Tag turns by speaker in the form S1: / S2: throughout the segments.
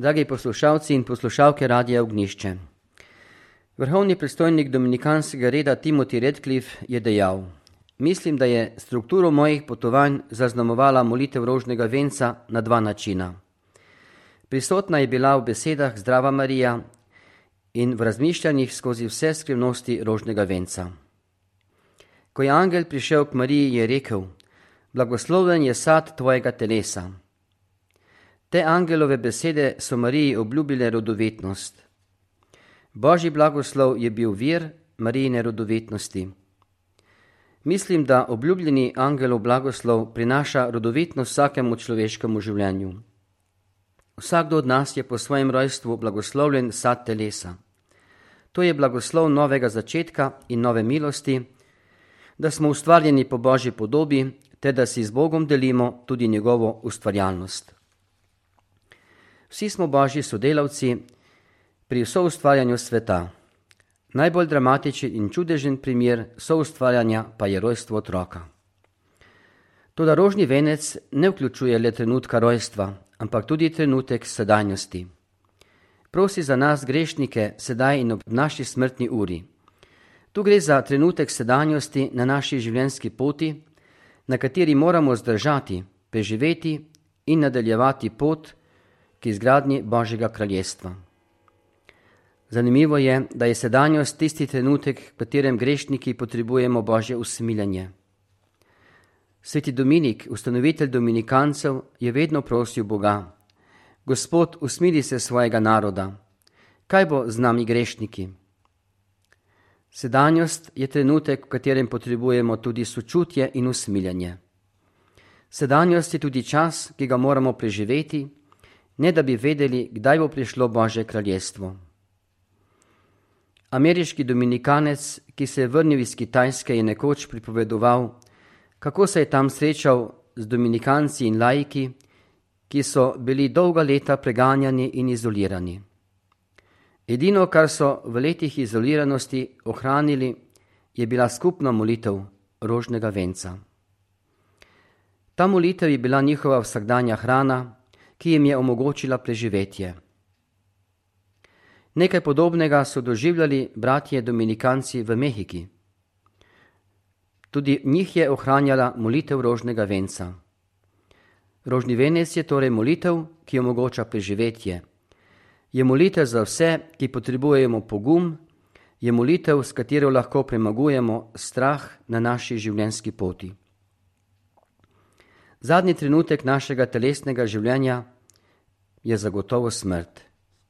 S1: Dragi poslušalci in poslušalke Radia Ognjišče. Vrhovni predstojnik dominikanskega reda Timothy Radcliffe je dejal: Mislim, da je strukturo mojih potovanj zaznamovala molitev rožnega venca na dva načina. Prisotna je bila v besedah Zdrava Marija in v razmišljanjih skozi vse skrivnosti rožnega venca. Ko je angel prišel k Mariji, je rekel: Blagoslovljen je sad tvojega telesa. Te angelove besede so Mariji obljubile rodovetnost. Božji blagoslov je bil vir Marijine rodovetnosti. Mislim, da obljubljeni angelov blagoslov prinaša rodovetnost vsakemu človeškemu življenju. Vsakdo od nas je po svojem rojstvu blagoslovljen sad telesa. To je blagoslov novega začetka in nove milosti, da smo ustvarjeni po Božji podobi, ter da si z Bogom delimo tudi njegovo ustvarjalnost. Vsi smo Božji sodelavci pri soustvarjanju sveta. Najbolj dramatičen in čudežen primer soustvarjanja pa je rojstvo otroka. Toda rožni venec ne vključuje le trenutka rojstva, ampak tudi trenutek sedanjosti. Prosi za nas grešnike sedaj in ob naši smrtni uri. Tu gre za trenutek sedanjosti na naši življenjski poti, na kateri moramo zdržati, preživeti in nadaljevati pot k izgradnji Božjega kraljestva. Zanimivo je, da je sedanjost tisti trenutek, v katerem grešniki potrebujemo Božje usmiljenje. Sveti Dominik, ustanovitelj dominikancev, je vedno prosil Boga: Gospod, usmili se svojega naroda. Kaj bo z nami grešniki? Sedanjost je trenutek, v katerem potrebujemo tudi sočutje in usmiljenje. Sedanjost je tudi čas, ki ga moramo preživeti, ne da bi vedeli, kdaj bo prišlo Božje kraljestvo. Ameriški dominikanec, ki se je vrnil iz Kitajske, je nekoč pripovedoval, kako se je tam srečal z dominikanci in laiki, ki so bili dolga leta preganjani in izolirani. Edino, kar so v letih izoliranosti ohranili, je bila skupna molitev rožnega venca. Ta molitev je bila njihova vsakdanja hrana, ki jim je omogočila preživetje. Nekaj podobnega so doživljali bratje dominikanci v Mehiki. Tudi njih je ohranjala molitev rožnega venca. Rožni venec je torej molitev, ki omogoča preživetje. Je molitev za vse, ki potrebujemo pogum, je molitev, s katero lahko premagujemo strah na naši življenjski poti. Zadnji trenutek našega telesnega življenja je zagotovo smrt.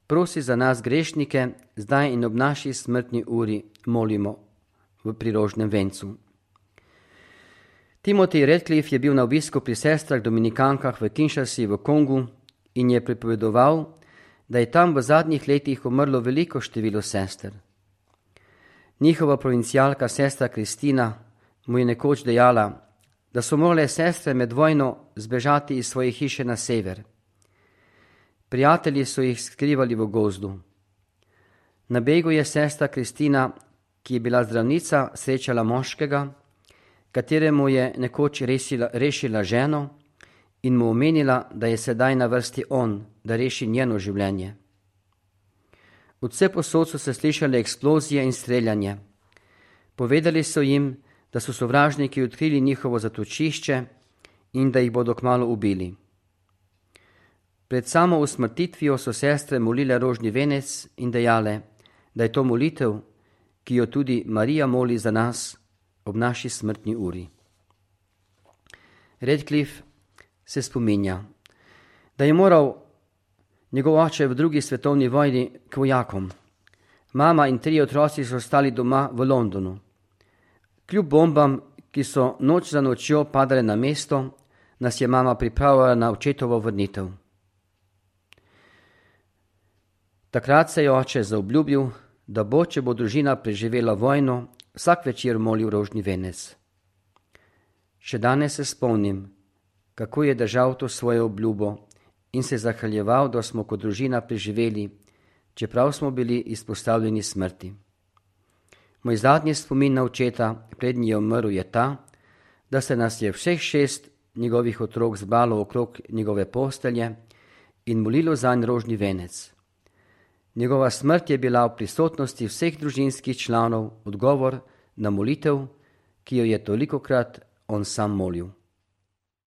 S1: Prosi za nas grešnike, zdaj in ob naši smrtni uri molimo pri rožnem vencu. Timothy Radcliffe je bil na obisku pri sestrah dominikankah v Kinshasi v Kongu in je pripovedoval, da je tam v zadnjih letih umrlo veliko število sester. Njihova provincialka sestra Kristina mu je nekoč dejala, da so morale sestre med vojno zbežati iz svoje hiše na sever. Prijatelji so jih skrivali v gozdu. Na begu je sestra Kristina, ki je bila zdravnica, srečala moškega, kateremu je nekoč rešila ženo in mu omenila, da je sedaj na vrsti on, da reši njeno življenje. Od vsepovsod so se slišale eksplozije in streljanje. Povedali so jim, da so sovražniki odkrili njihovo zatočišče in da jih bodo kmalu ubili. Pred samo usmrtitvijo so sestre molile rožni venec in dejale, da je to molitev, ki jo tudi Marija moli za nas ob naši smrtni uri. Radcliffe se spominja, da je moral njegov oče v drugi svetovni vojni k vojakom. Mama in 3 otroci so ostali doma v Londonu. Kljub bombam, ki so noč za nočjo padale na mesto, nas je mama pripravila na očetovo vrnitev. Takrat se je oče zaobljubil, da bo, če bo družina preživela vojno, vsak večer molil rožni venec. Še danes se spomnim, kako je držal to svojo obljubo in se zahvaljeval, da smo kot družina preživeli, čeprav smo bili izpostavljeni smrti. Moj zadnji spomin na očeta, preden je umrl, je ta, da se nas je vseh 6 njegovih otrok zbralo okrog njegove postelje in molilo zanj rožni venec. Njegova smrt je bila v prisotnosti vseh družinskih članov odgovor na molitev, ki jo je tolikokrat on sam molil.